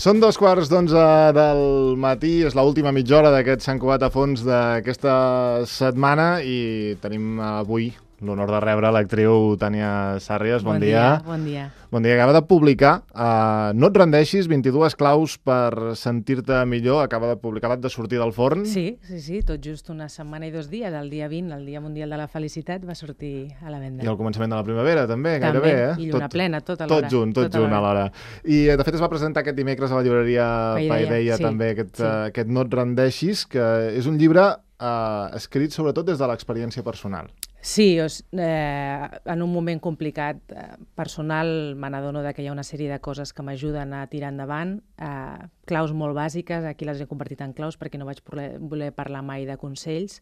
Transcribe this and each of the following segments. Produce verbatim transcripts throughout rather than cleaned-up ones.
Són dos quarts d'onze del matí, és l'última mitja hora d'aquest Sant Cugat a fons d'aquesta setmana i tenim avui l'honor de rebre l'actriu Tània Sàrries. Bon, bon dia. dia. Bon dia. Bon dia. Acaba de publicar uh, No et rendeixis, vint-i-dues claus per sentir-te millor. Acaba de publicar, acabat de sortir del forn. Sí, sí, sí, tot just una setmana i dos dies. El dia vint, el Dia Mundial de la Felicitat, va sortir a la venda. I al començament de la primavera, també, també gairebé, eh? I lluna tot, plena, tot alhora. Tot junt, tot, tot junt alhora. I, de fet, es va presentar aquest dimecres a la llibreria Paideia, sí, també, aquest, sí. uh, aquest No et rendeixis, que és un llibre uh, escrit sobretot des de l'experiència personal. Sí, eh, en un moment complicat eh, personal me n'adono que hi ha una sèrie de coses que m'ajuden a tirar endavant, eh, claus molt bàsiques, aquí les he convertit en claus perquè no vaig voler, voler parlar mai de consells,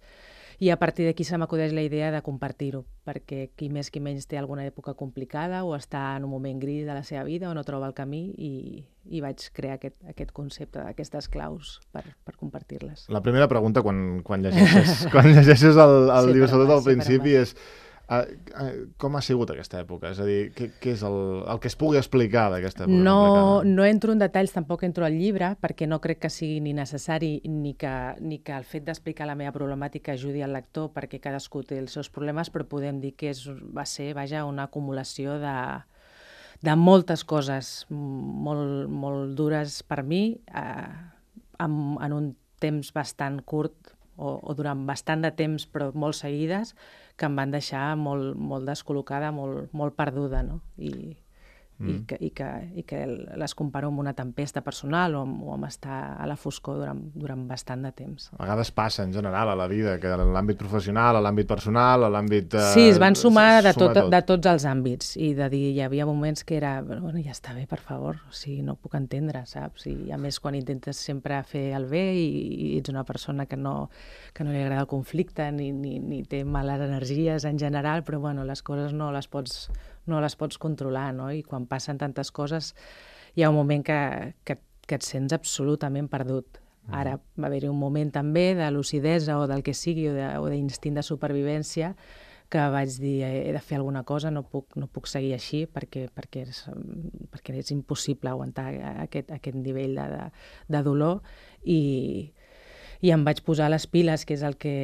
i a partir d'aquí se m'acudeix la idea de compartir-ho, perquè qui més qui menys té alguna època complicada o està en un moment gris de la seva vida o no troba el camí, i, i vaig crear aquest, aquest concepte d'aquestes claus per, per compartir-les. La primera pregunta quan, quan llegeixes, quan llegeixes el, el sí, llibre, sobretot al principi, és uh, uh, com ha sigut aquesta època? És a dir, què, què és el, el que es pugui explicar d'aquesta època? No, no entro en detalls, tampoc entro al llibre, perquè no crec que sigui ni necessari ni que, ni que el fet d'explicar la meva problemàtica ajudi al lector, perquè cadascú té els seus problemes, però podem dir que és, va ser, vaja, una acumulació de de moltes coses molt, molt dures per mi, eh, en, en un temps bastant curt o, o durant bastant de temps, però molt seguides, que em van deixar molt, molt descol·locada, molt, molt perduda, no? I, mm. i, que, i, que, i que les comparo amb una tempesta personal o amb, o amb estar a la foscor durant, durant bastant de temps. A vegades passa en general a la vida, que en l'àmbit professional, a l'àmbit personal, a l'àmbit... Eh, sí, es van sumar de, tot, tot. de tots els àmbits, i de dir, hi havia moments que era, bueno, ja està bé, per favor, o sigui, no puc entendre, saps? I a més, quan intentes sempre fer el bé i, i ets una persona que no, que no li agrada el conflicte ni, ni, ni té males energies en general, però bueno, les coses no les pots, no les pots controlar, no? I quan passen tantes coses hi ha un moment que, que, que et sents absolutament perdut. Ara va haver-hi un moment també de lucidesa o del que sigui o d'instint de, de supervivència que vaig dir, he de fer alguna cosa, no puc, no puc seguir així perquè, perquè, és, perquè és impossible aguantar aquest, aquest nivell de, de, de dolor, i, i em vaig posar les piles, que és el que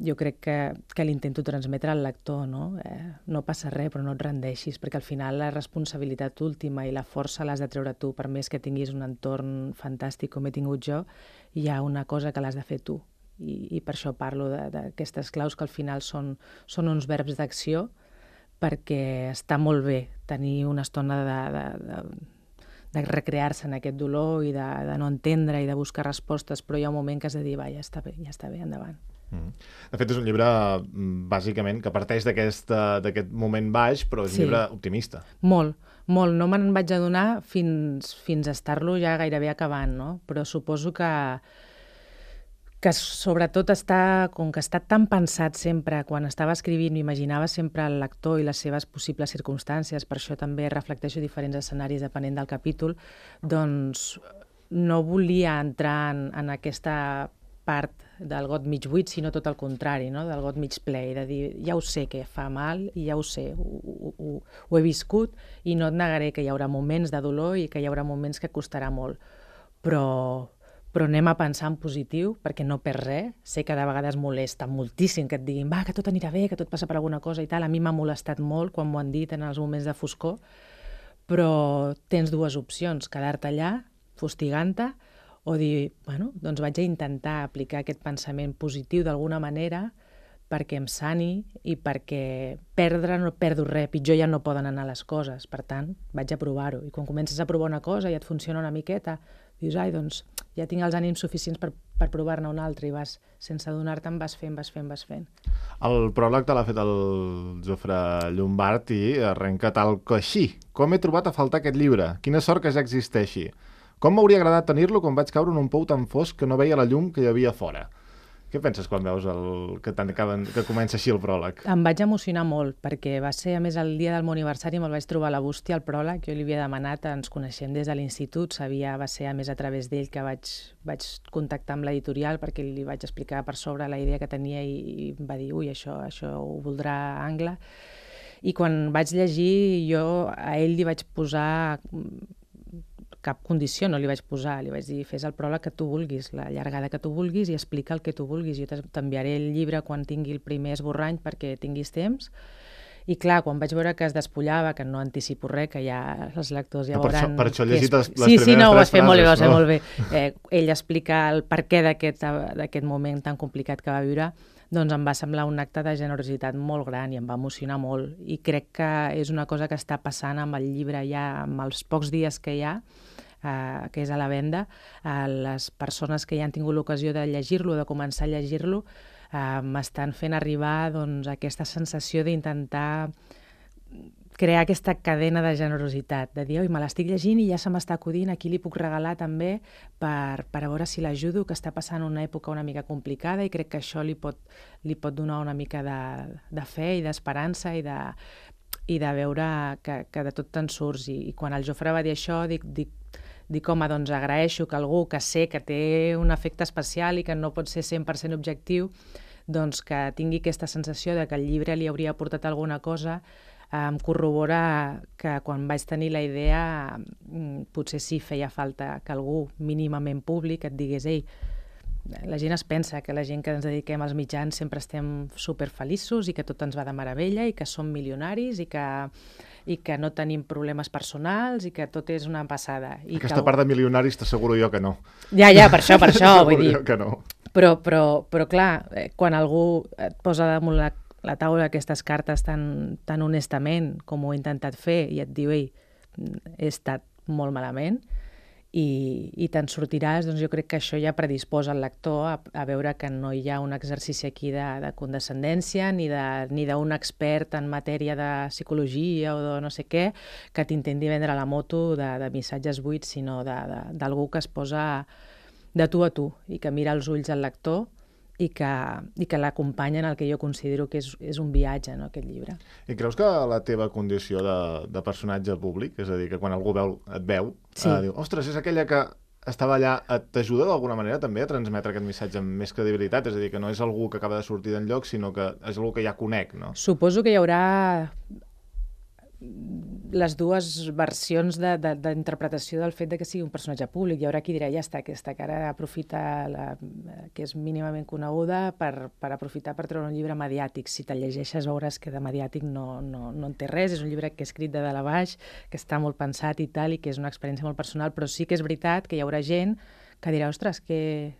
jo crec que, que l'intento transmetre al lector, no? Eh, no passa res, però no et rendeixis, perquè al final la responsabilitat última i la força l'has de treure tu, per més que tinguis un entorn fantàstic com he tingut jo, hi ha una cosa que l'has de fer tu. I, i per això parlo d'aquestes claus que al final són, són uns verbs d'acció, perquè està molt bé tenir una estona de, de, de, de recrear-se en aquest dolor i de, de no entendre i de buscar respostes, però hi ha un moment que has de dir, va, ja està bé, ja està bé, endavant. Mm. De fet, és un llibre, bàsicament, que parteix d'aquest moment baix, però és un sí. llibre optimista. Molt, molt. No me'n vaig adonar fins, fins a estar-lo ja gairebé acabant, no? Però suposo que que sobretot està, com que està tan pensat sempre, quan estava escrivint, m'imaginava sempre el lector i les seves possibles circumstàncies, per això també reflecteixo diferents escenaris depenent del capítol, doncs no volia entrar en, en aquesta part del got mig buit, sinó tot el contrari, no? Del got mig ple, i de dir, ja ho sé que fa mal, i ja ho sé, ho, ho, ho, ho he viscut, i no et negaré que hi haurà moments de dolor i que hi haurà moments que costarà molt, però... però anem a pensar en positiu, perquè no perds res. Sé que de vegades molesta moltíssim que et diguin, va, que tot anirà bé, que tot passa per alguna cosa i tal. A mi m'ha molestat molt quan m'ho han dit en els moments de foscor, però tens dues opcions, quedar-te allà, fustigant-te, o dir, bueno, doncs vaig a intentar aplicar aquest pensament positiu d'alguna manera perquè em sani i perquè perdre no perdo res, pitjor ja no poden anar les coses, per tant, vaig a provar-ho. I quan comences a provar una cosa i et funciona una miqueta, dius, ai, doncs ja tinc els ànims suficients per, per provar-ne una altra, i vas, sense adonar-te'n, vas fent, vas fent, vas fent. El pròleg te l'ha fet el Jofre Llombart i arrenca tal que així. Com he trobat a faltar aquest llibre? Quina sort que ja existeixi. Com m'hauria agradat tenir-lo quan vaig caure en un pou tan fosc que no veia la llum que hi havia fora? Què penses quan veus el, que, que comença així el pròleg? Em vaig emocionar molt, perquè va ser, a més, el dia del meu aniversari, me'l vaig trobar a la bústia, el pròleg. Jo li havia demanat, ens coneixem des de l'institut, sabia, va ser, a més, a través d'ell que vaig, vaig contactar amb l'editorial perquè li vaig explicar per sobre la idea que tenia i, i va dir, ui, això, això ho voldrà Angle. I quan vaig llegir, jo a ell li vaig posar cap condició no li vaig posar, li vaig dir, fes el pròleg que tu vulguis, la llargada que tu vulguis i explica el que tu vulguis. Jo t'enviaré el llibre quan tingui el primer esborrany perquè tinguis temps. I clar, quan vaig veure que es despullava, que no anticipo res, que ja els lectors ja no, per veuran... Això, per això he llegit les, les sí, primeres sí, no, ho tres has fet molt bé, ho has fet no? molt bé. Eh, ell explica el perquè d'aquest moment tan complicat que va viure, doncs em va semblar un acte de generositat molt gran i em va emocionar molt. I crec que és una cosa que està passant amb el llibre ja, amb els pocs dies que hi ha, eh, que és a la venda. Eh, les persones que ja han tingut l'ocasió de llegir-lo, de començar a llegir-lo, eh, m'estan fent arribar doncs, aquesta sensació d'intentar crear aquesta cadena de generositat, de dir, oi, me l'estic llegint i ja se m'està acudint, aquí li puc regalar també per, per a veure si l'ajudo, que està passant una època una mica complicada i crec que això li pot, li pot donar una mica de, de fe i d'esperança i de, i de veure que, que de tot te'n surts. I, I quan el Jofre va dir això, dic, dic, dic, home, doncs agraeixo que algú que sé que té un efecte especial i que no pot ser cent per cent objectiu, doncs que tingui aquesta sensació de que el llibre li hauria aportat alguna cosa, em corrobora que quan vaig tenir la idea potser sí feia falta que algú mínimament públic et digués, ei, la gent es pensa que la gent que ens dediquem als mitjans sempre estem superfeliços i que tot ens va de meravella i que som milionaris i que, i que no tenim problemes personals i que tot és una passada. I Aquesta que... part de milionaris t'asseguro jo que no. Ja, ja, per això, per això, vull dir. Que no. Però, però, però clar, quan algú et posa damunt la la taula aquestes cartes tan, tan honestament com ho he intentat fer i et diu, ei, he estat molt malament i, i te'n sortiràs, doncs jo crec que això ja predisposa el lector a, a veure que no hi ha un exercici aquí de, de condescendència ni d'un expert en matèria de psicologia o de no sé què que t'intenti vendre la moto de, de missatges buits, sinó d'algú que es posa de tu a tu i que mira als ulls al lector i que, i que l'acompanya en el que jo considero que és, és un viatge, no, aquest llibre. I creus que la teva condició de, de personatge públic, és a dir, que quan algú veu, et veu, sí. eh, diu, ostres, és aquella que estava allà, t'ajuda d'alguna manera també a transmetre aquest missatge amb més credibilitat? És a dir, que no és algú que acaba de sortir d'enlloc, sinó que és algú que ja conec, no? Suposo que hi haurà les dues versions d'interpretació de, de, del fet de que sigui un personatge públic. Hi haurà qui dirà, ja està, aquesta cara aprofita la, que és mínimament coneguda per, per aprofitar per treure un llibre mediàtic. Si te'l llegeixes veuràs que de mediàtic no, no, no en té res, és un llibre que he escrit de dalt a baix, que està molt pensat i tal, i que és una experiència molt personal, però sí que és veritat que hi haurà gent que dirà, ostres, que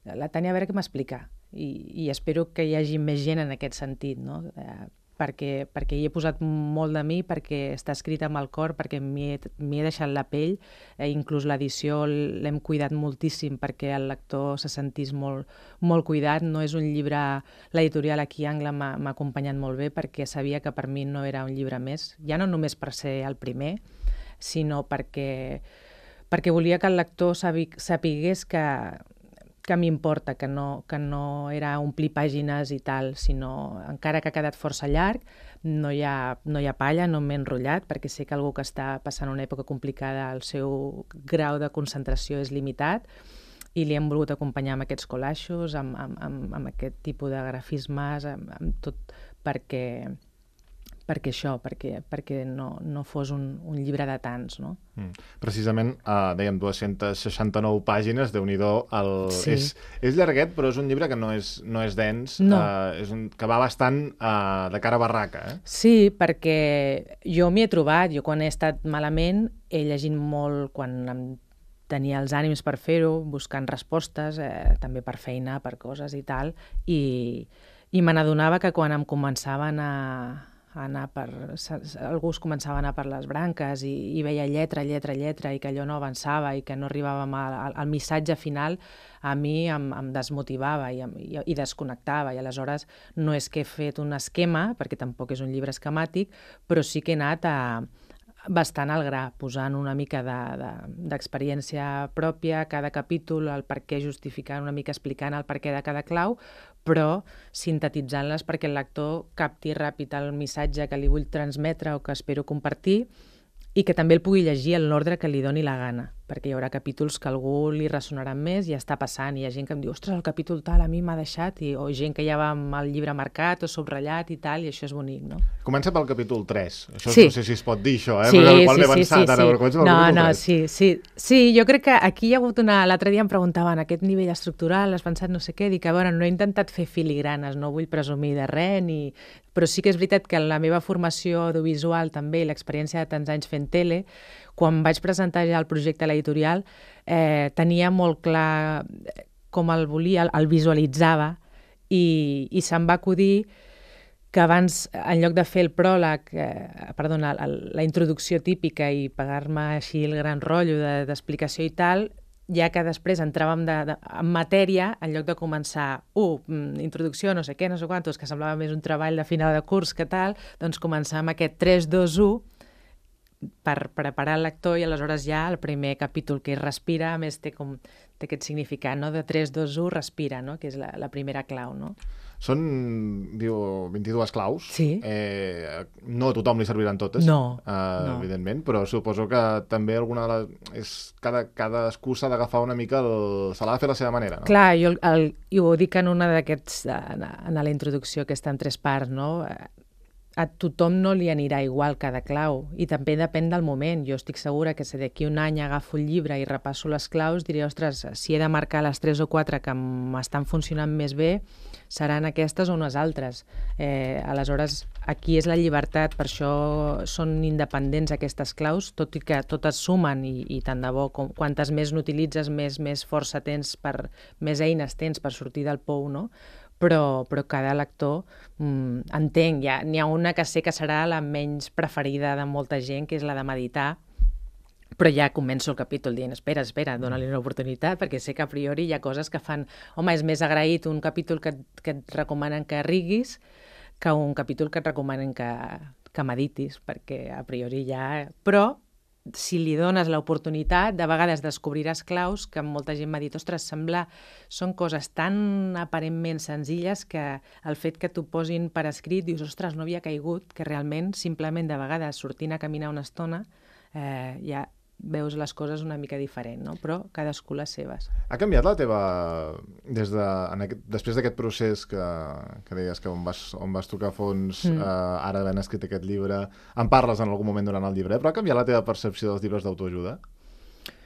la Tània a veure què m'explica. I, I espero que hi hagi més gent en aquest sentit, no? Eh, perquè, perquè hi he posat molt de mi, perquè està escrit amb el cor, perquè m'hi he, he deixat la pell, eh, inclús l'edició l'hem cuidat moltíssim perquè el lector se sentís molt, molt cuidat. No és un llibre, l'editorial aquí Angla m'ha acompanyat molt bé perquè sabia que per mi no era un llibre més, ja no només per ser el primer, sinó perquè, perquè volia que el lector sapigués que que m'importa, que no, que no era omplir pàgines i tal, sinó, encara que ha quedat força llarg, no hi ha, no hi ha palla, no m'he enrotllat, perquè sé que algú que està passant una època complicada, el seu grau de concentració és limitat, i li hem volgut acompanyar amb aquests collaixos, amb, amb, amb, amb aquest tipus de grafismes, amb, amb tot, perquè... perquè això, perquè, perquè no, no fos un, un llibre de tants, no? Mm. Precisament, uh, dèiem, dues-centes seixanta-nou pàgines, Déu-n'hi-do, el... sí. és, és llarguet, però és un llibre que no és, no és dens, no. uh, és un, que va bastant uh, de cara a barraca, eh? Sí, perquè jo m'hi he trobat, jo quan he estat malament he llegit molt, quan em tenia els ànims per fer-ho, buscant respostes, eh, també per feina, per coses i tal, i, i me n'adonava que quan em començaven a anar per... algú es començava a anar per les branques i, i veia lletra, lletra, lletra i que allò no avançava i que no arribàvem al, al missatge final, a mi em, em desmotivava i, i, i desconnectava, i aleshores no és que he fet un esquema, perquè tampoc és un llibre esquemàtic, però sí que he anat a, bastant al gra, posant una mica d'experiència de, de, pròpia a cada capítol, el per què justificant, una mica explicant el per què de cada clau, però sintetitzant-les perquè el lector capti ràpid el missatge que li vull transmetre o que espero compartir i que també el pugui llegir en l'ordre que li doni la gana. perquè hi haurà capítols que a algú li ressonaran més i ja està passant. Hi ha gent que em diu, ostres, el capítol tal a mi m'ha deixat, i, o gent que ja va amb el llibre marcat o subratllat i tal, i això és bonic, no? Comença pel capítol tres. Això sí. No sé si es pot dir, això, eh? Sí, Perquè qual sí, m'he avançat, sí, ara, sí. però comença pel no, capítol no, tres. sí, sí. Sí, jo crec que aquí hi ha hagut una... L'altre dia em preguntaven, aquest nivell estructural, has pensat no sé què? Dic, a veure, no he intentat fer filigranes, no vull presumir de res, ni... però sí que és veritat que la meva formació audiovisual també, i l'experiència de tants anys fent tele, quan vaig presentar ja el projecte a l'editorial, eh, tenia molt clar com el volia, el, el visualitzava, i, i se'm va acudir que abans, en lloc de fer el pròleg, eh, perdona, el, la introducció típica i pagar-me així el gran rotllo d'explicació de, i tal, ja que després entràvem de, de, en matèria, en lloc de començar, uh, introducció, no sé què, no sé quantos, que semblava més un treball de final de curs que tal, doncs començar amb aquest tres, dos, u, per preparar el lector, i aleshores ja el primer capítol que respira, a més té, com, té aquest significat, no? De tres, dos, u, respira, no? Que és la, la primera clau, no? Són, diu, vint-i-dues claus. Sí. Eh, no a tothom li serviran totes, no, eh, no. evidentment, però suposo que també alguna de les... És, cada, cadascú s'ha d'agafar una mica, el, se l'ha de fer a la seva manera, no? Clar, jo el, el, i ho dic en una d'aquests, en, en la introducció, que està en tres parts, no? A tothom no li anirà igual cada clau, i també depèn del moment. Jo estic segura que si d'aquí un any agafo el llibre i repasso les claus, diré, ostres, si he de marcar les tres o quatre que m'estan funcionant més bé, seran aquestes o unes altres. Eh, aleshores, aquí és la llibertat, per això són independents aquestes claus, tot i que totes sumen, i, i tant de bo, com, quantes més n'utilitzes, més, més força tens, per, més eines tens per sortir del pou, no? Però, però cada lector mm, entenc, ja, n'hi ha una que sé que serà la menys preferida de molta gent, que és la de meditar, però ja començo el capítol dient, espera, espera, dona-li una oportunitat, perquè sé que a priori hi ha coses que fan... Home, és més agraït un capítol que, que et recomanen que riguis que un capítol que et recomanen que, que meditis, perquè a priori ja... Però si li dones l'oportunitat, de vegades descobriràs claus que molta gent m'ha dit, ostres, sembla... Són coses tan aparentment senzilles que el fet que t'ho posin per escrit, dius, ostres, no havia caigut, que realment, simplement, de vegades, sortint a caminar una estona, eh, ja veus les coses una mica diferent, no? Però cadascú les seves. Ha canviat la teva... Des de, en aquest, després d'aquest procés que, que deies que on vas, on vas tocar fons, mm. eh, ara havent escrit aquest llibre, en parles en algun moment durant el llibre, però ha canviat la teva percepció dels llibres d'autoajuda?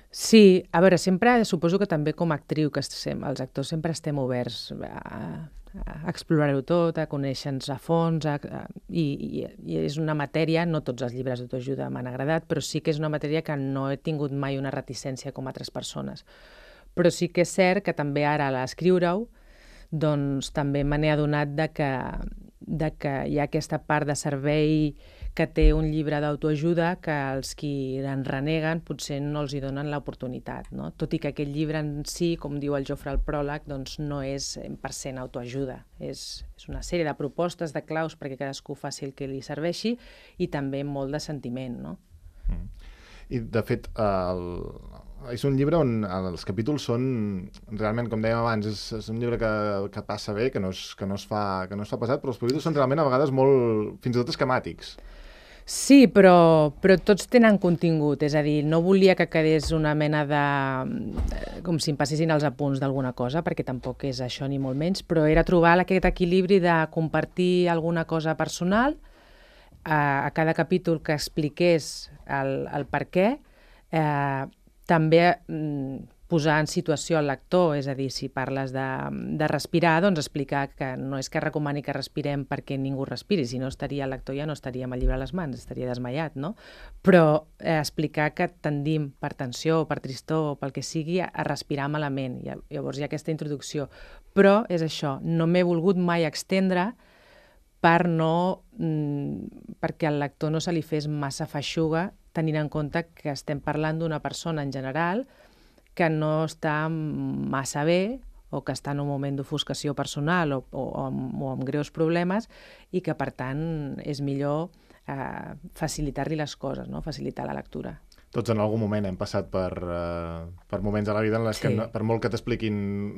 Sí, a veure, sempre suposo que també com a actriu, que estem, els actors sempre estem oberts a, a explorar-ho tot, a conèixer-nos a fons, a, a, i, i, i és una matèria, no tots els llibres d'autoajuda m'han agradat, però sí que és una matèria que no he tingut mai una reticència com altres persones. Però sí que és cert que també ara a l'escriure-ho, doncs també me n'he adonat de que, de que hi ha aquesta part de servei que té un llibre d'autoajuda que els qui en reneguen potser no els hi donen l'oportunitat, no? Tot i que aquest llibre en si, com diu el Jofre al pròleg, doncs no és cent per cent autoajuda. És, és una sèrie de propostes, de claus perquè cadascú faci el que li serveixi, i també molt de sentiment, no? Mm. I, de fet, el... és un llibre on els capítols són, realment, com dèiem abans, és, és un llibre que, que passa bé, que no, es, que, no es fa, que no es fa pesat, però els capítols són realment a vegades molt, fins i tot esquemàtics. Sí, però, però tots tenen contingut, és a dir, no volia que quedés una mena de... com si em passessin els apunts d'alguna cosa, perquè tampoc és això ni molt menys, però era trobar aquest equilibri de compartir alguna cosa personal a, a cada capítol que expliqués el, el per què, eh, també mm, posar en situació el lector, és a dir, si parles de, de respirar, doncs explicar que no és que recomani que respirem perquè ningú respiri, si no estaria el lector ja no estaria amb el llibre a les mans, estaria desmaiat, no? Però eh, explicar que tendim per tensió o per tristor o pel que sigui a, a respirar malament, i llavors hi ha aquesta introducció. Però és això, no m'he volgut mai extendre per no, mm, perquè al lector no se li fes massa feixuga, tenint en compte que estem parlant d'una persona en general que no està massa bé o que està en un moment d'ofuscació personal o, o, o, amb, o amb greus problemes, i que, per tant, és millor eh, facilitar-li les coses, no? Facilitar la lectura. Tots en algun moment hem passat per, uh, per moments a la vida en les sí. que, no, per molt que t'expliquin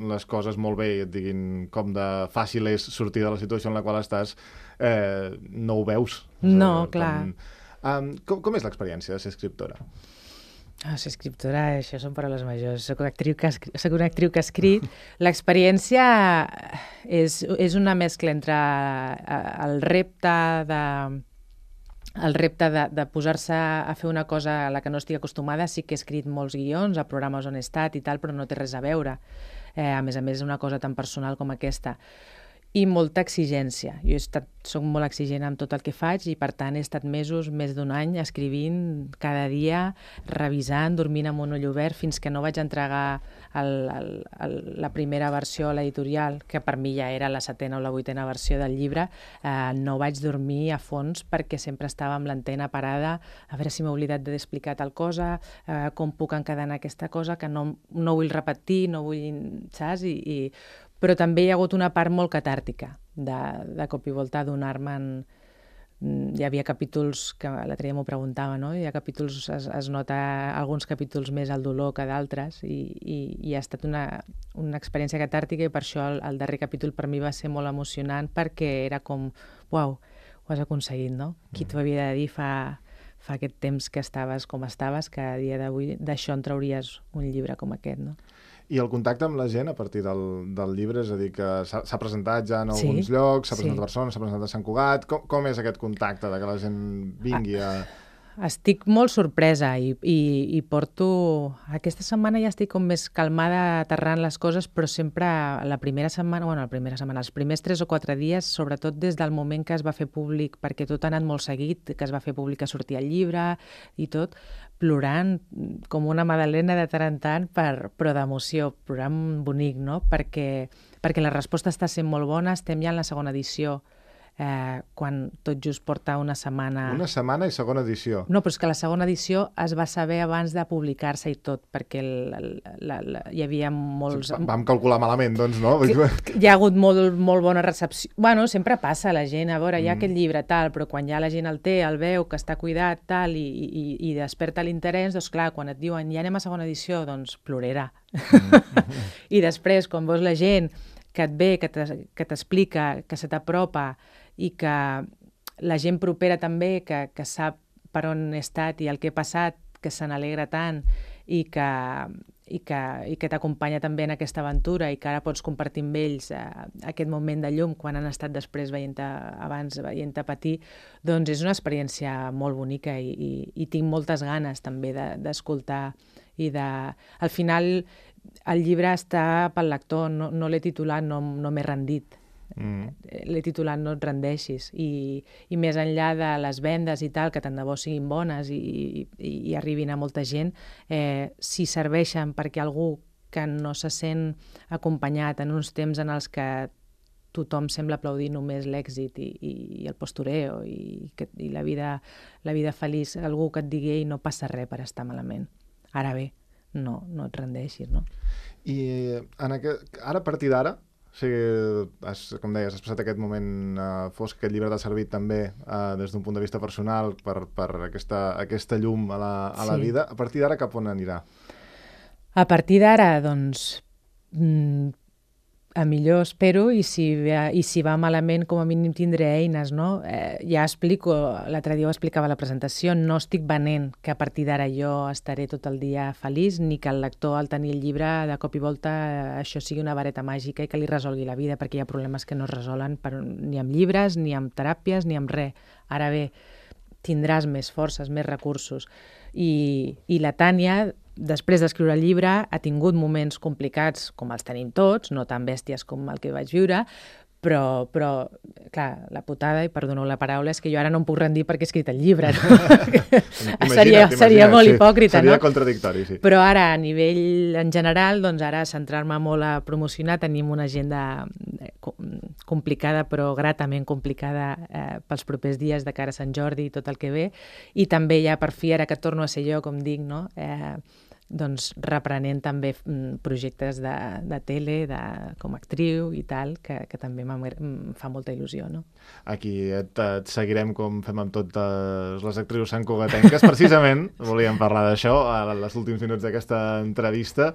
les coses molt bé i et diguin com de fàcil és sortir de la situació en la qual estàs, eh, no ho veus. No, uh, clar. Com, um, com, com és l'experiència de ser escriptora? Ah, ser escriptora, això són paraules majors. Soc una actriu que ha, escrit, soc una actriu que ha escrit. L'experiència és, és una mescla entre el repte de el repte de, de posar-se a fer una cosa a la que no estic acostumada. Sí que he escrit molts guions a programes on he estat i tal, però no té res a veure. Eh, a més a més, una cosa tan personal com aquesta. I molta exigència. Jo he estat, soc molt exigent amb tot el que faig i, per tant, he estat mesos, més d'un any, escrivint cada dia, revisant, dormint amb un ull obert, fins que no vaig entregar el, el, el, la primera versió a l'editorial, que per mi ja era la setena o la vuitena versió del llibre. Eh, no vaig dormir a fons perquè sempre estava amb l'antena parada, a veure si m'he oblidat d'explicar tal cosa, eh, com puc encadenar aquesta cosa, que no, no vull repetir, no vull, saps? I, i però també hi ha hagut una part molt catàrtica de, de cop i volta donar-me'n... Hi havia capítols, que l'altre dia m'ho preguntava, no? Hi ha capítols, es, es nota alguns capítols més el dolor que d'altres i, i, i ha estat una, una experiència catàrtica i per això el, el darrer capítol per mi va ser molt emocionant perquè era com, uau, ho has aconseguit, no? Qui t'ho havia de dir fa, fa aquest temps que estaves com estaves, que a dia d'avui d'això en trauries un llibre com aquest, no? I el contacte amb la gent a partir del, del llibre, és a dir, que s'ha presentat ja en alguns sí, llocs, s'ha presentat sí. a Barcelona, s'ha presentat a Sant Cugat. Com, com és aquest contacte de que la gent vingui a... Estic molt sorpresa i, i, i porto... Aquesta setmana ja estic com més calmada aterrant les coses, però sempre la primera setmana, bueno, la primera setmana, els primers tres o quatre dies, sobretot des del moment que es va fer públic, perquè tot ha anat molt seguit, que es va fer públic a sortir el llibre i tot, plorant com una magdalena de tant en tant, per, però d'emoció, plorant bonic, no? Perquè, perquè la resposta està sent molt bona, estem ja en la segona edició, eh, quan tot just porta una setmana... Una setmana i segona edició. No, però és que la segona edició es va saber abans de publicar-se i tot, perquè el, el, la, la, hi havia molts... Sí, vam calcular malament, doncs, no? Que, hi ha hagut molt, molt bona recepció. Bueno, sempre passa, la gent, a veure, hi ha mm. aquest llibre, tal, però quan ja la gent el té, el veu, que està cuidat, tal, i, i, i desperta l'interès, doncs clar, quan et diuen ja anem a segona edició, doncs plorarà. Mm. I després, quan veus la gent que et ve, que t'explica, que se t'apropa, i que la gent propera també, que, que sap per on he estat i el que he passat, que se n'alegra tant i que, i que, i que t'acompanya també en aquesta aventura i que ara pots compartir amb ells eh, aquest moment de llum quan han estat després veient-te abans, veient-te patir, doncs és una experiència molt bonica i, i, i tinc moltes ganes també d'escoltar de, i de... Al final el llibre està pel lector, no, no l'he titulat, no, no m'he rendit. Mm. L'he titulat No et rendeixis i, i més enllà de les vendes i tal, que tant de bo siguin bones i, i, i arribin a molta gent, eh, si serveixen perquè algú que no se sent acompanyat en uns temps en els que tothom sembla aplaudir només l'èxit i, i, i el postureo i, que, i la, vida, la vida feliç, algú que et digui ei, no passa res per estar malament. Ara bé, no, no et rendeixis, no? I en aquest, ara a partir d'ara, o sigui, has, com deies, has passat aquest moment uh, fosc, aquest llibre t'ha servit també uh, des d'un punt de vista personal per, per aquesta, aquesta llum a la, a sí. la vida. A partir d'ara cap on anirà? A partir d'ara, doncs, mm, a millor espero i si, i si va malament com a mínim tindré eines, no? Eh, ja explico, l'altre dia ho explicava a la presentació, no estic venent que a partir d'ara jo estaré tot el dia feliç ni que el lector al tenir el llibre de cop i volta eh, això sigui una vareta màgica i que li resolgui la vida, perquè hi ha problemes que no es resolen per, ni amb llibres, ni amb teràpies, ni amb res. Ara bé, tindràs més forces, més recursos. I, i la Tània, després d'escriure el llibre, ha tingut moments complicats, com els tenim tots, no tan bèsties com el que vaig viure, però, però clar, la putada, i perdoneu la paraula, és que jo ara no em puc rendir perquè he escrit el llibre. No? seria seria molt sí. hipòcrita, seria no? Seria contradictori, sí. Però ara, a nivell en general, doncs ara centrar-me molt a promocionar, tenim una agenda complicada, però gratament complicada eh, pels propers dies de cara a Sant Jordi i tot el que ve, i també ja per fi, ara que torno a ser jo, com dic, no?, eh, doncs reprenent també projectes de, de tele, de, com a actriu i tal, que, que també em fa molta il·lusió, no? Aquí et, et seguirem com fem amb totes les actrius santcugatenques. Precisament volíem parlar d'això als últims minuts d'aquesta entrevista,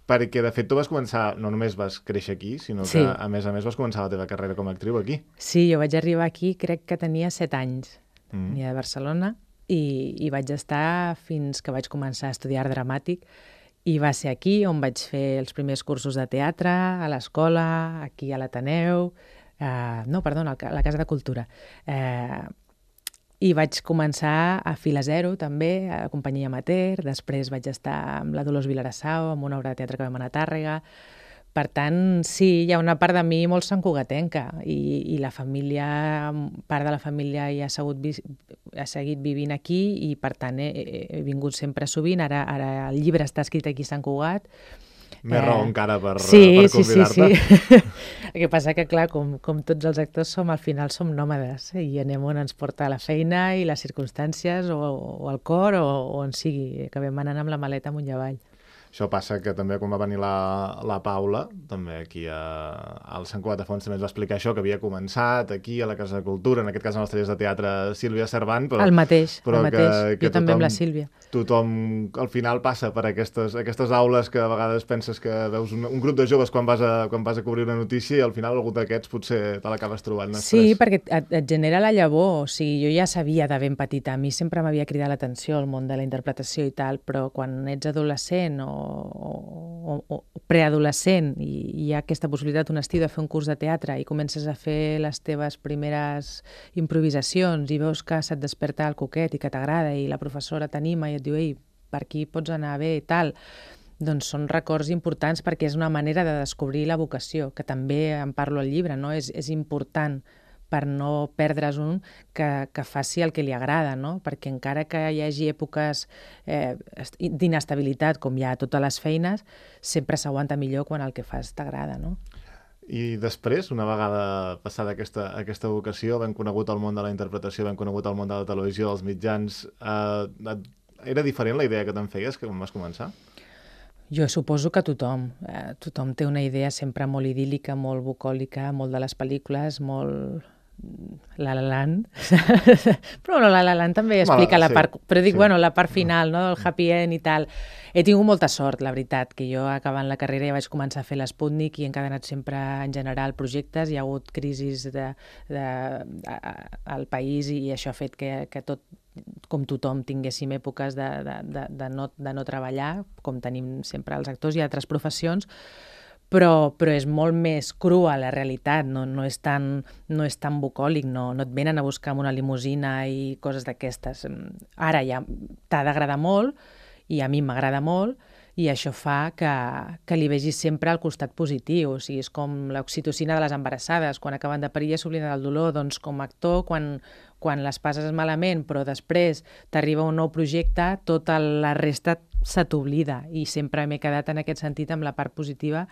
perquè de fet tu vas començar, no només vas créixer aquí, sinó que sí. a més a més vas començar la teva carrera com a actriu aquí. Sí, jo vaig arribar aquí, crec que tenia set anys. Mm. Venia de Barcelona, i, i vaig estar fins que vaig començar a estudiar art dramàtic, i va ser aquí on vaig fer els primers cursos de teatre, a l'escola, aquí a l'Ateneu, eh, no, perdona, a la Casa de Cultura. Eh, I vaig començar a Fila Zero, també, a la companyia amateur, després vaig estar amb la Dolors Vilarassau, amb una obra de teatre que vam anar a Tàrrega. Per tant, sí, hi ha una part de mi molt santcugatenca i, i la família, part de la família hi ha, segut, ha seguit vivint aquí i, per tant, he, he vingut sempre sovint. Ara, ara el llibre està escrit aquí a Sant Cugat. Més eh... raó encara per, sí, per convidar-te. Sí, sí, sí. El que passa que, clar, com, com tots els actors som, al final som nòmades eh? I anem on ens porta la feina i les circumstàncies o, o el cor o, o on sigui. Acabem anant amb la maleta amunt i avall. Això passa que també quan va venir la, la Paula, també aquí a, al Sant Cugat de Fons també ens va explicar això, que havia començat aquí a la Casa de Cultura, en aquest cas en els tallers de teatre Sílvia Cervant, però, el mateix, però el mateix. Que, que jo també tothom, amb la Sílvia. Tothom al final passa per aquestes, aquestes aules que a vegades penses que veus un, un grup de joves quan vas, a, quan vas a cobrir una notícia i al final algú d'aquests potser te l'acabes trobant. Després. Sí, perquè et, et genera la llavor, o sigui, jo ja sabia de ben petita, a mi sempre m'havia cridat l'atenció el món de la interpretació i tal, però quan ets adolescent o, o, o preadolescent i hi ha aquesta possibilitat un estiu de fer un curs de teatre i comences a fer les teves primeres improvisacions i veus que se't desperta el coquet i que t'agrada i la professora t'anima i et diu ei, per aquí pots anar bé i tal, doncs són records importants perquè és una manera de descobrir la vocació, que també en parlo al llibre, no? És, és important per no perdre's un que, que faci el que li agrada, no? Perquè encara que hi hagi èpoques eh, d'inestabilitat, com hi ha a totes les feines, sempre s'aguanta millor quan el que fas t'agrada, no? I després, una vegada passada aquesta, aquesta vocació, ben conegut el món de la interpretació, ben conegut el món de la televisió, dels mitjans, eh, era diferent la idea que te'n feies quan vas començar? Jo suposo que tothom. Eh, tothom té una idea sempre molt idíl·lica, molt bucòlica, molt de les pel·lícules, molt La La Land. Però no, La La Land també explica Mal, la sí, part... Però dic, sí. bueno, la part final, no?, del happy end i tal. He tingut molta sort, la veritat, que jo acabant la carrera ja vaig començar a fer l'Sputnik i he encadenat sempre, en general, projectes. Hi ha hagut crisis de, de, de, al país i això ha fet que, que tot, com tothom, tinguéssim èpoques de, de, de, de, no, de no treballar, com tenim sempre els actors i altres professions, però, però és molt més crua la realitat, no, no, és tan, no és tan bucòlic, no, no et venen a buscar amb una limusina i coses d'aquestes. Ara ja t'ha d'agradar molt, i a mi m'agrada molt, i això fa que, que li vegis sempre al costat positiu. O sigui, és com l'oxitocina de les embarassades, quan acaben de parir ja s'obliden del dolor, doncs com a actor, quan, quan les passes malament, però després t'arriba un nou projecte, tota la resta se t'oblida, i sempre m'he quedat en aquest sentit amb la part positiva,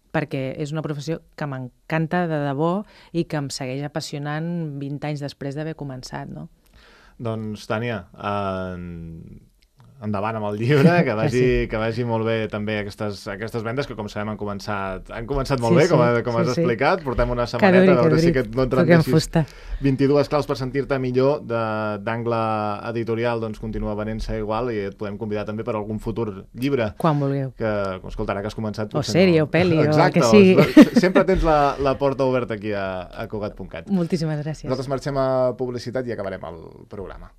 perquè és una professió que m'encanta de debò i que em segueix apassionant vint anys després d'haver començat, no? Doncs, Tània, eh, endavant amb el llibre, que vagi, sí. que vagi molt bé també aquestes, aquestes vendes que, com sabem, han començat, han començat molt sí, bé, com, a, com sí, has sí. explicat. Portem una setmaneta, duri, a veure si aquest no et rendeixis. vint-i-dues claus per sentir-te millor d'Angle Editorial, doncs continua venent-se igual i et podem convidar també per algun futur llibre. Quan vulgueu. Que, escolta, ara que has començat... O sèrie, no. o pel·li, Exacte, o el que sigui. Sempre tens la, la porta oberta aquí a, a Cugat punt cat. Moltíssimes gràcies. Nosaltres marxem a publicitat i acabarem el programa.